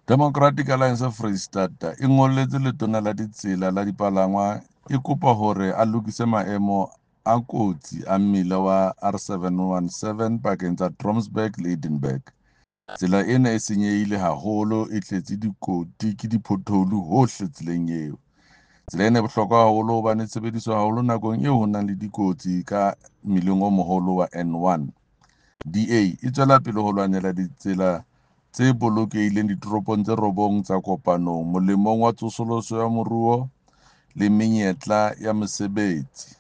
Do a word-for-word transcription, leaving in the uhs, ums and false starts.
Democratic Alliance Foreisetata e ngolletse Letona la Ditsela le Dipalangwang e kopa hore a lokise maemo a kotsi a mmila wa R seven one seven pakeng tsa Trompsburg le Edenburg. Tsela ena e senyehile haholo, e tletse dikoti ke di-pothole hohle tseleng eo. Tsela ena e bohlokwa haholo hobane e sebediswa haholo nakong eo ho nang le dikotsi ka mmileng o moholo wa N one. D A e tswela pele ho lwanela ditsela tse bolokehileng ditoropong tse robong tsa kopanong molemong wa tsosoloso ya moruo le menyetla ya mesebetsi.